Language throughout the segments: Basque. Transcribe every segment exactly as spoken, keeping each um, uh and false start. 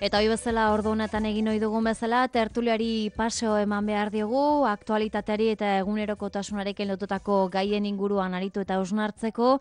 Eta hoi bezala ordu honetan egin ohi dugun bezala, tertuliari paseo eman behar diogu, aktualitateari eta egunerokotasunarekin lotutako gaien inguruan aritu eta hausnartzeko,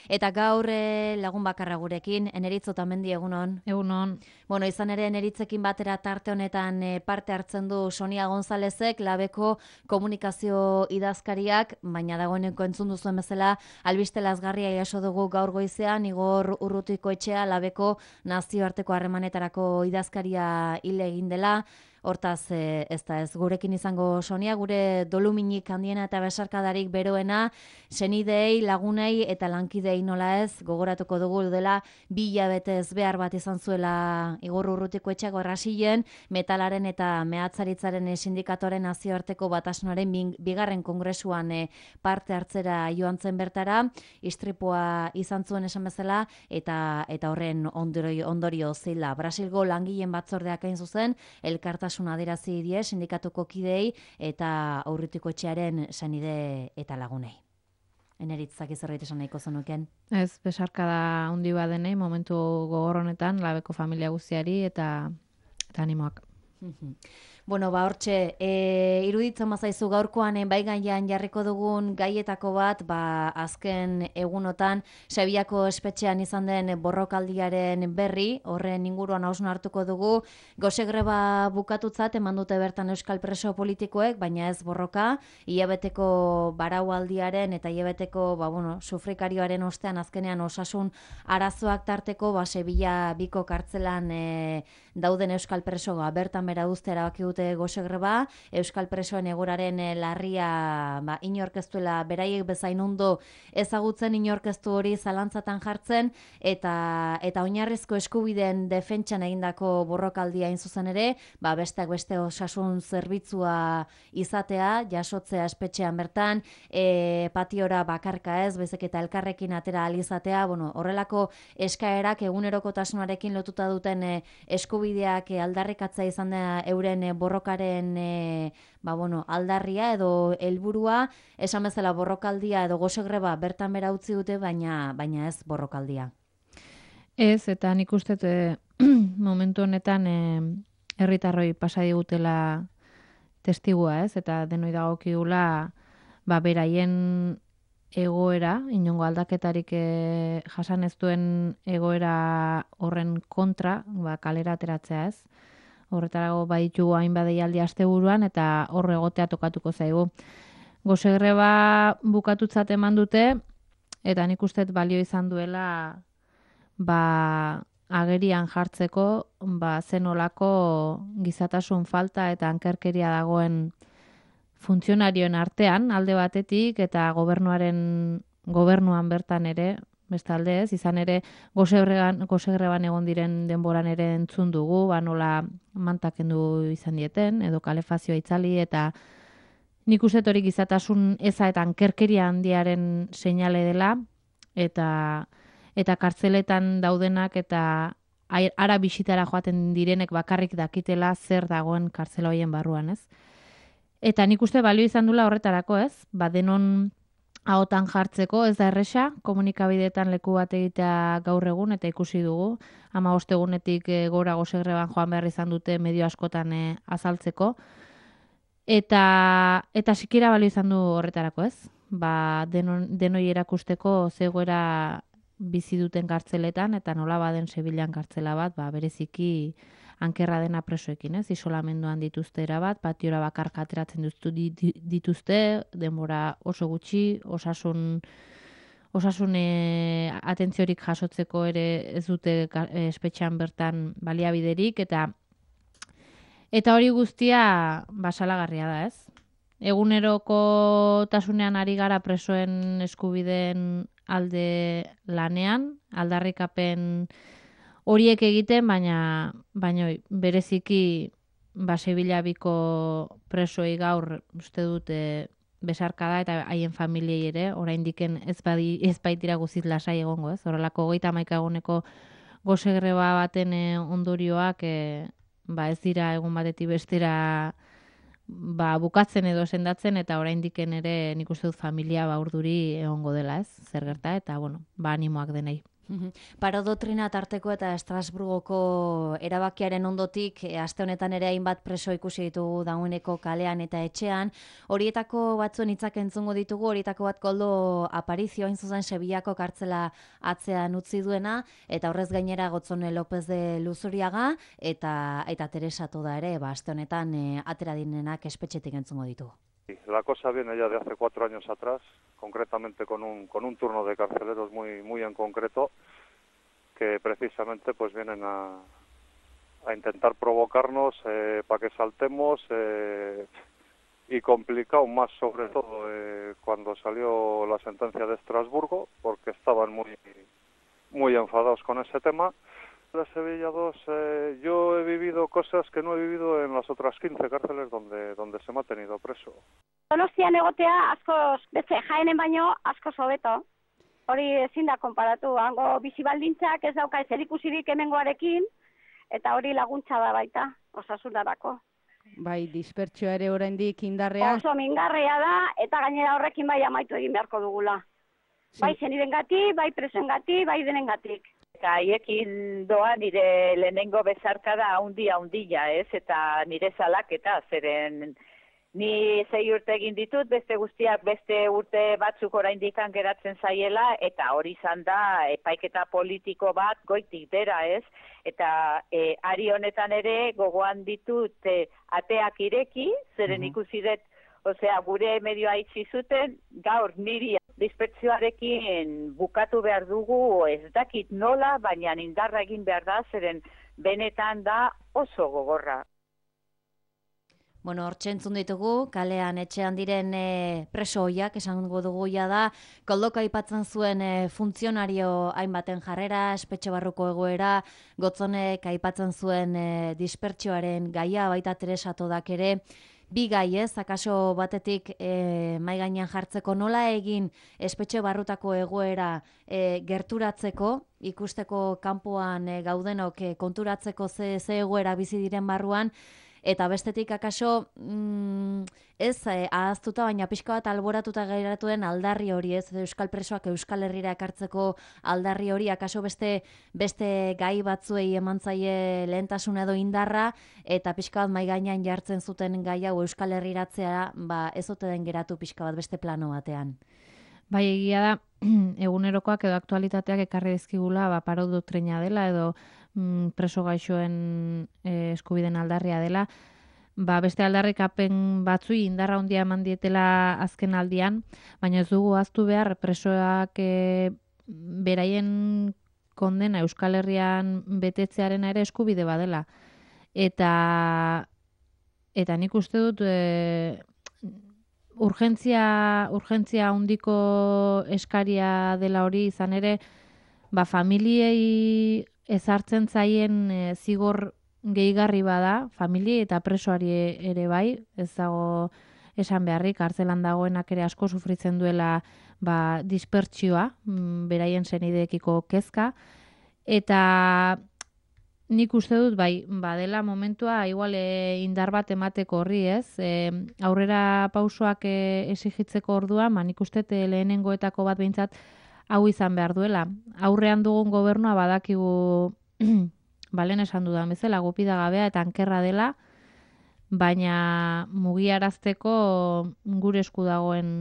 eta gaur eh, lagun bakarra gurekin, Eneritz Otamendi, egunon. Egunon. Bueno, izan ere Eneritzekin batera tarte honetan eh, parte hartzen du Sonia Gonzalezek, Labeko komunikazio idazkariak, baina dagoeneko entzun duzuen bezala, albiste lazgarria jaso dugu gaur goizean, Igor Urrutikoetxea, Labeko nazioarteko harremanetarako idazkaria hil egin dela. Hortaz, e, ez da ez gurekin izango Sonia, gure doluminik handiena eta besarkadarik beroena, senidei, lagunei eta lankidei nola ez, gogoratuko dugu dela, bi hilabetez behar bat izan zuela Igor Urrutikoetxeako Brasilen, metalaren eta mehatzaritzaren sindikatoren nazioarteko batasunaren bigarren kongresuan e, parte hartzera joan zen bertara, istripua izan zuen esan bezala, eta eta horren ondorio, ondorio zila. Brasilgo langileen batzordeak hain zuzen, elkartasun adierazi die sindikatuko kidei eta Urrutikoetxearen senide eta lagunei. Eneritzak zerbait esan nahiko zenuken? Ez, besarkada handi badenei momentu gogor honetan Labeko familia guztiari eta eta animoak. Bueno, ba, hortxe, e, iruditzen bazaizu gaurkoan e, bai gaian jarriko dugun gaietako bat, ba, azken egunotan, Seviako espetxean izan den borrokaldiaren berri, horren inguruan hausnartuko dugu, gose greba bukatutzat, eman dute bertan euskal preso politikoek, baina ez borroka, hilabeteko baraualdiaren eta hilabeteko, ba, bueno, sufrikarioaren ostean azkenean osasun arazoak tarteko, ba, Sevilla biko kartzelan e, dauden euskal presoa bertan bera uzte erabaki dute gose greba, euskal presoen egoraren larria ba, inorkeztuela beraiek bezain ondo ezagutzen, inorkeztu hori zalantzatan jartzen, eta eta oinarrizko eskubideen defentsan egindako borrokaldia hain zuzen ere, ba, besteak beste osasun zerbitzua izatea, jasotzea espetxean bertan, e, patiora bakarka ez, bezek eta elkarrekin atera alizatea, bueno, horrelako eskaerak egunerokotasunarekin lotuta duten e, eskubideak e, aldarrikatzea izan da euren e, borrokaren e, ba, bueno, aldarria edo helburua, esan bezala borrokaldia edo gose greba bertan bera utzi dute, baina baina ez borrokaldia. Ez, eta nik uste e, momentu honetan e, herritarroi pasa digutela testigua, ez, eta denoi dagokigula ba, beraien egoera, inongo aldaketarik e, jasan ez duen egoera horren kontra, ba, kalera ateratzea, ez. Horretarago baditu hainbat deialdi asteburuan eta hor egotea tokatuko zaigu. Gose greba bukatutzat eman dute eta nik uste balio izan duela ba, agerian jartzeko ba, zenolako gizatasun falta eta ankerkeria dagoen funtzionarioen artean alde batetik eta gobernuaren gobernuan bertan ere bestalde ez, izan ere gosegreban, gosegreban egon diren denboran ere entzun dugu, ba nola mantakendu izan dieten, edo kalefazioa itzali, eta nik uste hori gizatasun eza eta ankerkeria handiaren seinale dela, eta eta kartzeletan daudenak eta ara bisitara joaten direnek bakarrik dakitela zer dagoen kartzela hoien barruan, ez? Eta nik uste balio izan dula horretarako, ez? Ba denon ahotan jartzeko, ez da erresa, komunikabideetan leku bat egitea gaur egun, eta ikusi dugu, hamabost egunetik e, gora gose greban joan behar izan dute medio askotan e, azaltzeko, eta eta sikira balio izan du horretarako, ez? Ba, denon, denoi erakusteko zegoera bizi duten kartzeletan, eta nola baden Sevillan kartzela bat, ba, bereziki ankerra dena presoekin, ez? Isolamenduan dituzte erabat, patiora bakarka ateratzen dituzte, denbora oso gutxi, osasun osasun e, atentziorik jasotzeko ere ez dute e, espetxean bertan baliabiderik, eta eta hori guztia basalagarria da, ez? Eguneroko tasunean ari gara presoen eskubideen alde lanean, aldarrikapen horiek egiten, baina baina bereziki ba Sevilla biko presoei gaur uste dute besarkada eta haien familiei ere, oraindiken ez badi ez baitira guztiz lasai egongo, ez? Horrelako hogeita hamaika eguneko gose greba baten ondorioak e, ba ez dira egun batetik bestera ba bukatzen edo sendatzen, eta oraindiken ere nik uste dut familia ba urduri egongo dela, ez? Zer gerta, eta bueno, ba animoak denei. Paro doktrina tarteko eta Estrasburgoko erabakiaren ondotik, e, aste honetan ere hainbat preso ikusi ditugu dagoeneko kalean eta etxean. Horietako batzuen hitzak entzungo ditugu, horietako bat Koldo Aparizio, hain zuzen Sevillako kartzela atzean utzi duena, eta horrez gainera Gotzone López de Luzuriaga, eta, eta Teresa Toda ere, ba, aste honetan e, atera direnak espetxetik entzungo ditugu. La cosa viene ya de hace cuatro años atrás, concretamente con un, con un turno de carceleros muy, muy en concreto, que precisamente pues vienen a, a intentar provocarnos eh, para que saltemos eh, y complicado más sobre todo eh, cuando salió la sentencia de Estrasburgo, porque estaban muy, muy enfadados con ese tema. De Sevilla dos, eh, yo he vivido cosas que no he vivido en las otras quince cárceles donde, donde se me ha tenido preso. Donostian egotea askoz, beste jaenen baino askoz hobeto. Hori ezin da konparatu, hango bizi baldintzak ez dauka zerikusirik hemengoarekin, eta hori laguntza da baita, osasunarako. Bai, dispertsioa ere oraindik indarrean. Oso mingarria da, eta gainera horrekin bai amaitu egin beharko dugula. Sí. Bai zenidengatik, bai presoengatik, bai denengatik. Eta haiekin doa nire lehenengo bezarkada haundi haundila, ez? Eta nire salaketa, zeren ni zei urte egin ditut, beste guztiak beste urte batzuk oraindik geratzen zaiela, eta hori izan da epaiketa politiko bat goitik bera, ez? Eta e, ari honetan ere gogoan ditut e, ateak ireki, zeren uh-huh. ikusi dut, osea, gure medioa itxi zuten, gaur niri dispertsioarekin bukatu behar dugu, ez dakit nola, baina indarra egin behar da, zeren benetan da oso gogorra. Bueno, hortxe entzun ditugu, kalean etxean diren e, preso hoiak, esango dugu ja da, Koldoka aipatzen zuen e, funtzionario hainbaten jarrera, espetxe barruko egoera, Gotzonek aipatzen zuen e, dispertsioaren gaia, baita Teresa Todak ere, bi gai ez, akaso batetik e, mai gainean jartzeko nola egin espetxe barrutako egoera e, gerturatzeko, ikusteko kanpoan e, gaudenok e, konturatzeko ze, ze egoera bizi diren barruan, eta bestetik akaso mm, ez eh, ahaztuta, baina pixka bat alboratuta gairatuen aldarri hori, ez Euskal presoak Euskal Herrira ekartzeko aldarri hori, akaso beste beste gai batzuei eman zaie lehentasun edo indarra, eta pixka bat mai gainean jartzen zuten gai hau Euskal Herriratzea, ba ez ote den geratu pixka bat beste plano batean. Bai, egia da, egunerokoak edo aktualitateak ekarri dizkigula, ba, paro doktrina dela edo mm, preso gaixoen e, eskubiden aldarria dela, ba, beste aldarrikapen batzui indarra handia eman dietela azken aldian, baina ez dugu ahaztu behar presoak e, beraien kondena Euskal Herrian betetzearena ere eskubide badela. Eta, eta nik uste dut... E, Urgentzia, urgentzia handiko eskaria dela hori izan ere, ba, familiei ezartzen zaien e, zigor gehigarri bada, familiei eta presoari ere bai, ez dago esan beharrik, kartzelan dagoenak ere asko sufritzen duela ba, dispertsioa, beraien senideekiko kezka, eta nik uste dut, bai, badela momentua, igual e, indar bat emateko horri, ez? E, aurrera pausoak e, esigitzeko ordua, ma nik uste dut lehenengoetako bat behintzat hau izan behar duela. Aurrean dugun gobernua badakigu, balen esan dudan bezala, gupida gabea eta ankerra dela, baina mugiarazteko gure esku dagoen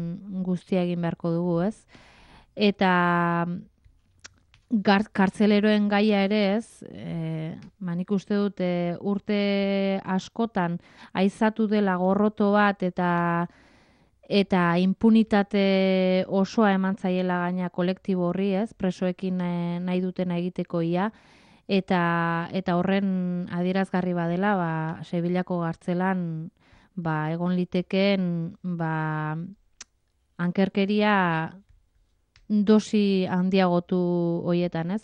guztia egin beharko dugu, ez? Eta... Kartzeleroen gaia ere ez, e, manik uste dut e, urte askotan aizatu dela gorroto bat eta eta impunitate osoa eman zaiela gaina kolektibo horri ez, presoekin e, nahi dutena egiteko ia, eta, eta horren adierazgarri badela, ba, Sevillako kartzelan ba, egon litekeen ba, ankerkeria dosi handiagotu hoietan, ez?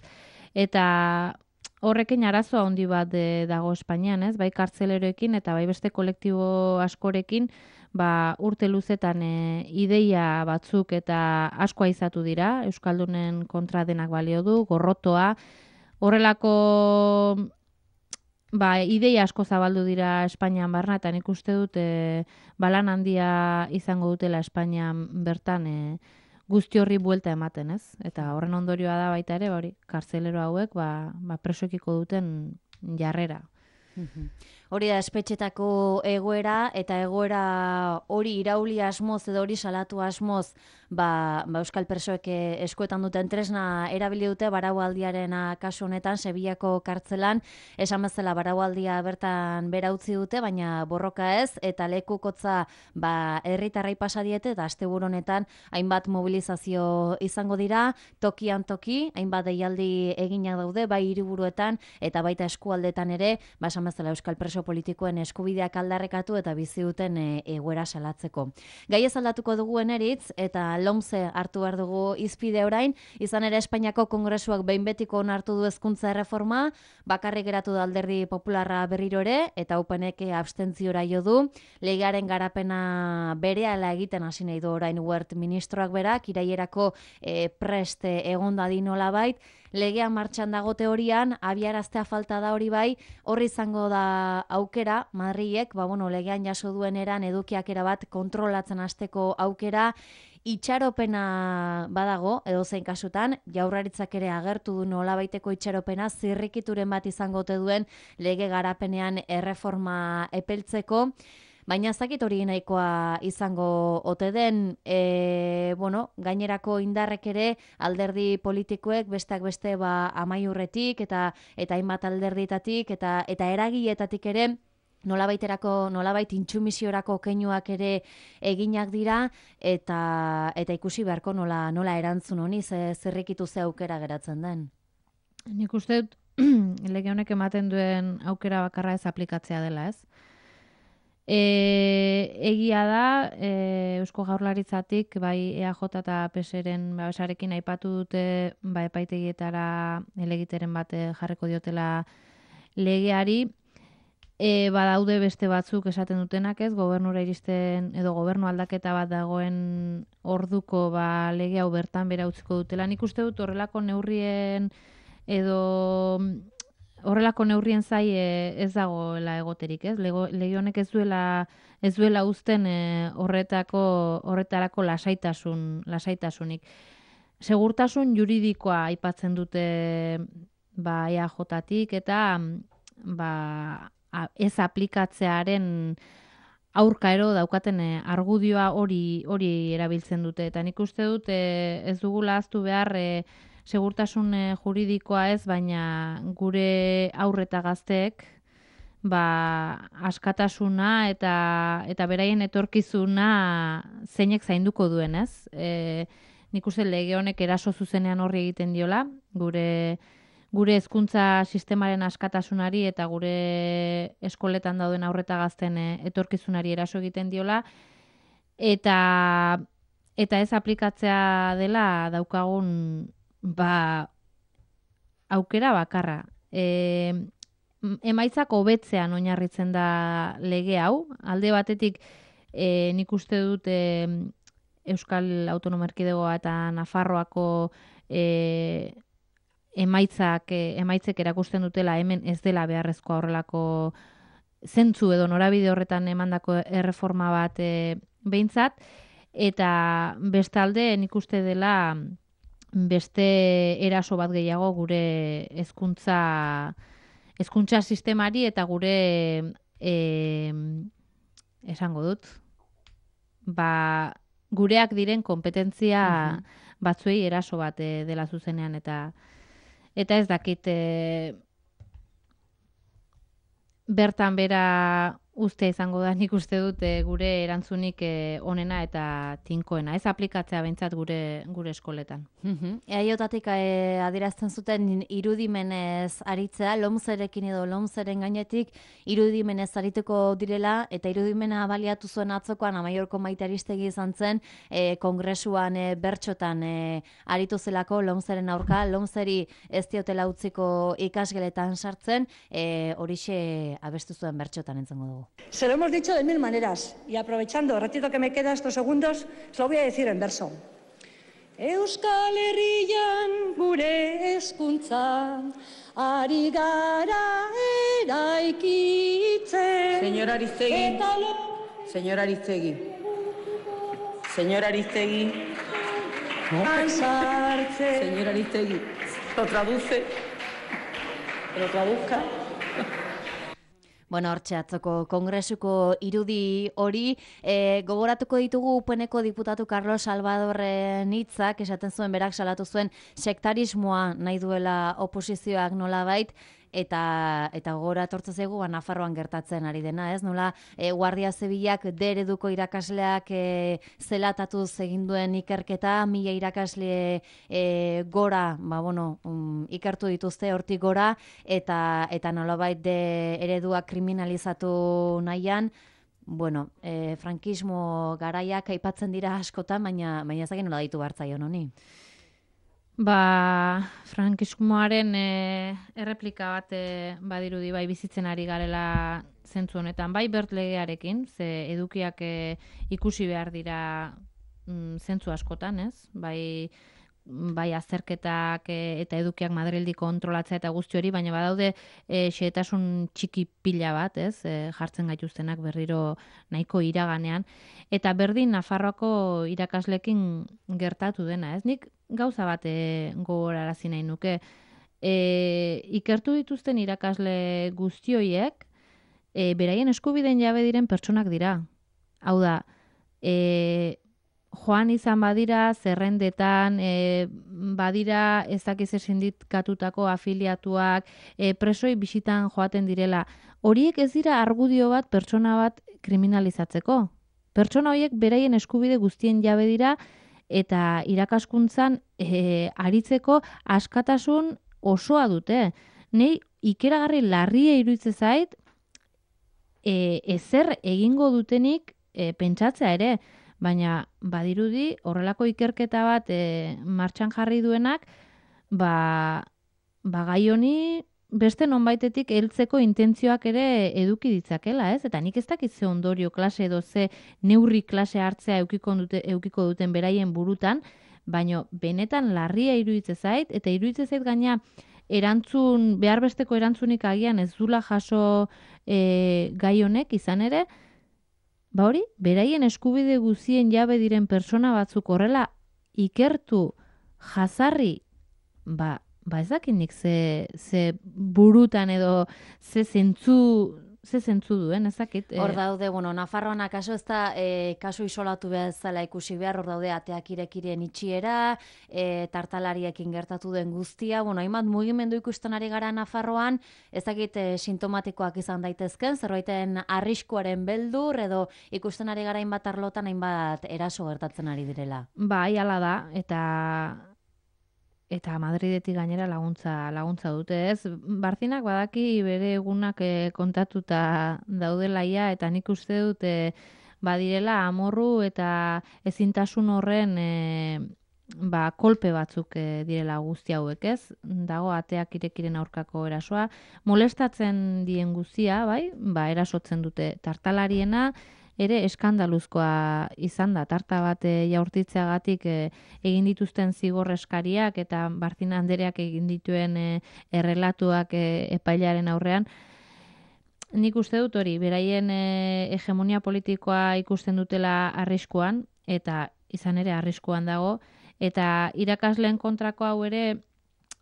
Eta horrekin arazoa handi bat de, dago Espainian, ez? Bai kartzeleroekin eta bai beste kolektibo askorekin, ba, urte luzetan e, ideia batzuk eta asko aizatu dira, Euskaldunen kontra denak balio du, gorrotoa, horrelako ba, ideia asko zabaldu dira Espainian barna, eta nik uste dut e, balan handia izango dutela Espainian bertan e, guzti horri buelta ematen, ez? Eta horren ondorioa da baita ere, hori, kartzelero hauek, ba, ba presoekiko duten jarrera. Hori da espetxetako egoera, eta egoera hori irauli asmoz edo hori salatu asmoz, ba, ba euskal presoek eskuetan duten tresna erabili dute baraualdiaren kasu honetan Sevillako kartzelan, esan bezala baraualdia bertan bera utzi dute, baina borroka ez, eta lekukotza ba herritarrei pasa diete, eta asteburu honetan hainbat mobilizazio izango dira, tokian toki, hainbat deialdi eginak daude, bai hiriburuetan eta baita eskualdetan ere, ba esan bezala euskal preso politikoen eskubideak aldarrekatu eta bizi duten e, egoera salatzeko. Gai ez aldatuko dugu eneritz, eta lomze hartu behar dugu izpide orain, izan ere Espainiako Kongresuak behin betiko onartu du hezkuntza erreforma, bakarrik geratu da Alderdi Popularra berriro ere, eta upenek abstentziora jo du, legearen garapena berehala egiten hasi nahi du orain Wert ministroak berak, irailerako e, prest egon dadin nolabait, legea martxan dago teorian, abiaraztea falta da hori bai, horri izango da aukera, Madrilek, ba, bueno, legean jaso duen eran edukiak erabat kontrolatzen hasteko aukera, itxaropena badago, edo zein kasutan, Jaurlaritzak ere agertu du nolabaiteko itxaropena, zirrikituren bat izango ote duen lege garapenean erreforma epeltzeko, baina ez dakit hori nahikoa izango ote den, e, bueno, gainerako indarrek ere alderdi politikoek besteak beste ba amaiurretik eta eta hainbat alderditatik eta eta eragileetatik ere nolabaiterako nolabait intsumiziorako keinuak ere eginak dira eta eta ikusi beharko nola nola erantzun honi ze zerrikitu ze aukera geratzen den. Nik uste dut lege honek ematen duen aukera bakarra ez aplikatzea dela, ez? E, egia da, e, Eusko Jaurlaritzatik, bai E A J eta P S ren babesarekin aipatu dute ba, epaitegietara elegiteren bat jarriko diotela legeari, e, badaude beste batzuk esaten dutenak ez, gobernura iristen edo gobernu aldaketa bat dagoen orduko ba, lege hau bertan bera utziko dutela. Nik uste dut horrelako neurrien edo horrelako neurrien zai e, ez dagoela egoterik, ez? Lego, lege honek ez duela ez duela uzten e, horretako horretarako lasaitasun lasaitasunik. Segurtasun juridikoa aipatzen dute ba E A J-tik eta ba ez aplikatzearen aurka ero daukaten e, argudioa hori hori erabiltzen dute eta nik uste dut e, ez dugula ahaztu behar e, segurtasun juridikoa ez, baina gure aurreta gazteek ba, askatasuna eta eta beraien etorkizuna zeinek zainduko duen, ez? E, nik uste lege honek eraso zuzenean horri egiten diola, gure gure hezkuntza sistemaren askatasunari eta gure eskoletan dauden aurreta gazten etorkizunari eraso egiten diola, eta eta ez aplikatzea dela daukagun ba, aukera bakarra. E, emaitzak hobetzean oinarritzen da lege hau. Alde batetik e, nik uste dut e, Euskal Autonomia Erkidegoa eta Nafarroako e, emaitzak, e, emaitzek erakusten dutela hemen ez dela beharrezkoa horrelako zentzu edo norabide horretan emandako erreforma bat e, behintzat, eta bestalde nik uste dela beste eraso bat gehiago gure hezkuntza hezkuntza sistemari eta gure e, esango dut ba gureak diren konpetentzia uh-huh. batzuei eraso bat e, dela zuzenean eta eta ez dakit e, bertan bera ustea izango da, nik uste dut e, gure erantzunik e, onena eta tinkoena. Ez aplikatzea behintzat gure gure eskoletan. Uh-huh. Eaiotatik e, adierazten zuten irudimenez aritzea, lomzerekin edo lomzeren gainetik irudimenez arituko direla, eta irudimena baliatu zuen atzokoan Amaiorko Maite Aristegi izan zen, e, kongresuan e, bertxotan e, aritu zelako lomzeren aurka, lomzeri ez diotela utziko ikasgeletan sartzen, e, horixe abestu zuen bertxotan entzengo dugu. Se lo hemos dicho de mil maneras y aprovechando el ratito que me queda estos segundos, se lo voy a decir en verso. Euskal Herrian gure hezkuntzan ari gara eraikitzen. Señor Ariztegui, señor Ariztegui, señor Ariztegui, Ansartze. Señora Aristegui, lo traduce, lo traduzca. Bueno, hortxe atzoko kongresuko irudi hori, e, gogoratuko ditugu U P Neko diputatu Carlos Salvadorren hitzak, esaten zuen berak salatu zuen sektarismoa nahi duela oposizioak nolabait, eta eta gogora etortzen zaigu ba, Nafarroan gertatzen ari dena, ez? Nola e, Guardia Zibilak D ereduko irakasleak e, zelatatuz egin duen ikerketa, mila irakasle e, gora, ba, bueno, um, ikertu dituzte hortik gora, eta eta nolabait D eredua kriminalizatu nahian, bueno, e, frankismo garaiak aipatzen dira askotan, baina baina ezagin nola ditu bartzaion honi. Ba, frankismoaren e, erreplika bat e, badirudi bai bizitzen ari garela zentzu honetan, bai bert legearekin, ze edukiak e, ikusi behar dira mm, zentzu askotan, ez? Bai, bai azterketak e, eta edukiak Madrildi kontrolatzea eta guzti hori, baina badaude e, xehetasun txiki pila bat, ez? E, jartzen gaituztenak berriro nahiko iraganean, eta berdin Nafarroako irakaslekin gertatu dena, ez? Nik gauza bat e, gogorarazi nahi nuke. E, ikertu dituzten irakasle guztioiek, e, beraien eskubideen jabe diren pertsonak dira. Hau da, e, joan izan badira, zerrendetan, e, badira ezakize sindikatutako afiliatuak, e, presoi bisitan joaten direla. Horiek ez dira argudio bat pertsona bat kriminalizatzeko. Pertsona horiek beraien eskubide guztien jabe dira, eta irakaskuntzan e, aritzeko askatasun osoa dute. Nei ikeragarri larria iruditzen zait, e, ezer egingo dutenik e, pentsatzea ere, baina badirudi horrelako ikerketa bat e, martxan jarri duenak, ba, ba gai honi beste nonbaitetik heltzeko intentzioak ere eduki ditzakela, ez? Eta nik ez dakit ze ondorio klase edo ze neurri klase hartzea eukiko, dute, eukiko duten beraien burutan, baina benetan larria iruditzen zait, eta iruditzen zait gaina erantzun, behar besteko erantzunik agian ez dula jaso e, gai honek izan ere, ba hori, beraien eskubide guzien jabe diren pertsona batzuk horrela ikertu, jazarri, ba, ba ez dakit nik ze, ze burutan edo ze zentzu, ze zentzu duen, ez dakit. Hor daude, bueno, Nafarroan akaso ez da e, kasu isolatu bezala ikusi behar, hor daude ateak irekiren itxiera, e, tartalariekin gertatu den guztia, bueno, hainbat mugimendu ikusten ari gara Nafarroan, ez dakit e, sintomatikoak izan daitezken, zerbaiten arriskuaren beldur, edo ikusten ari gara hainbat arlotan hainbat eraso gertatzen ari direla. Bai, hala da, eta eta Madridetik gainera laguntza laguntza dute, ez? Barzinak badaki bere egunak e, kontatuta daudelaia, eta nik uste dute badirela amorru eta ezintasun horren e, ba, kolpe batzuk e, direla guzti hauek, ez? Dago ateak irekiren aurkako erasoa, molestatzen dien guztia, bai? Ba, erasotzen dute tartalariena, ere eskandaluzkoa izan da, tarta bat e, jaurtitzeagatik e, egin dituzten zigor eskariak eta Barzina Andereak egin dituen e, errelatuak e, epailaren aurrean. Nik uste dut hori, beraien e, hegemonia politikoa ikusten dutela arriskuan, eta izan ere arriskuan dago, eta irakasleen kontrako hau ere,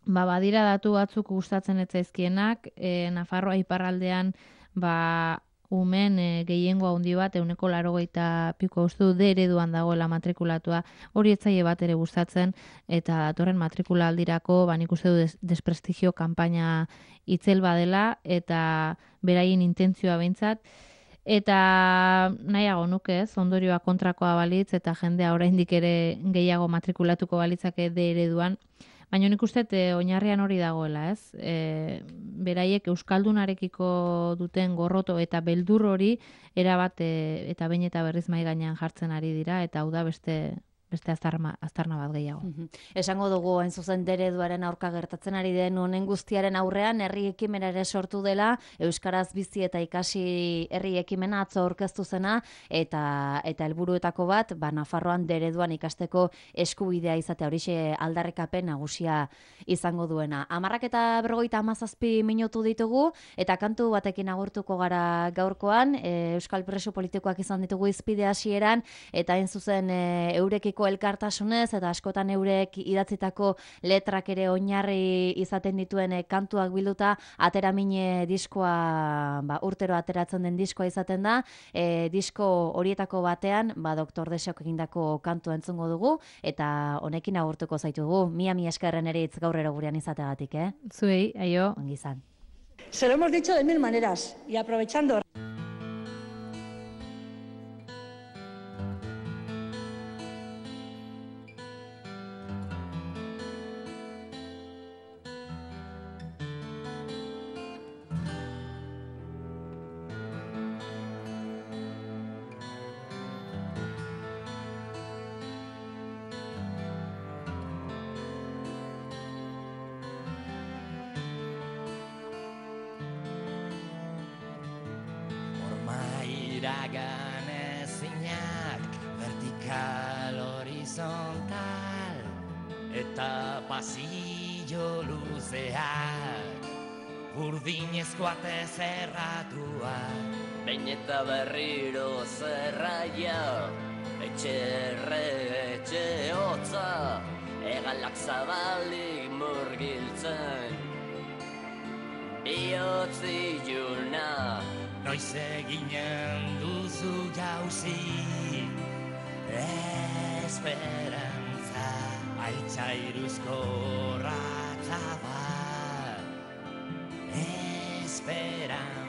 ba, badira datu batzuk gustatzen ez zaizkienak, e, Nafarroa iparraldean, ba, umen e, gehiengo handi bat, euneko laurogeita piko uste du D ereduan dagoela matrikulatua, hori etzaile bat ere gustatzen, eta datorren matrikula aldirako, ba, nik uste du des, desprestigio kanpaina itzel badela, eta beraien intentzioa behintzat, eta nahiago nuke ez, ondorioa kontrakoa balitz, eta jendea oraindik ere gehiago matrikulatuko balitzake D ereduan, baina nik uste e, oinarrian hori dagoela, ez? E, beraiek euskaldunarekiko duten gorroto eta beldur hori erabat e, eta behin eta berriz mai gainean jartzen ari dira, eta hau da beste beste aztarna, aztarna bat gehiago. Mm-hmm. Esango dugu, hain zuzen D ereduaren aurka gertatzen ari den honen guztiaren aurrean, herri ekimena ere sortu dela, Euskaraz bizi eta ikasi herri ekimena atzo aurkeztu zena, eta eta helburuetako bat, ba, Nafarroan D ereduan ikasteko eskubidea izatea, horixe aldarrikapen nagusia izango duena. Hamarrak eta berrogeita hamazazpi minutu ditugu, eta kantu batekin agurtuko gara gaurkoan, e, Euskal preso politikoak izan ditugu izpide hasieran, eta hain zuzen e, eurekiko nahiko elkartasunez eta askotan eurek idatzitako letrak ere oinarri izaten dituen kantuak bilduta ateramine diskoa, ba, urtero ateratzen den diskoa izaten da. E, disko horietako batean, ba, Doktor Deseok egindako kantu entzungo dugu eta honekin agurtuko zaitugu. Mia mi eskerren eritz gaurrero gurean izateagatik, eh? Zuei, aio. Ongi izan. Se lo hemos dicho de mil maneras y aprovechando. Iragan ezinak, vertikal horizontal, eta pasillo luzeak, urdinezko ate zerratuak. Behin eta berriro zerraia, etxerre, etxe hotza, hegalak zabalik murgiltzen. Bihotz iluna, noiz eginen duzu jauzi, esperantza, altzairuzko ratza bat, esperantza.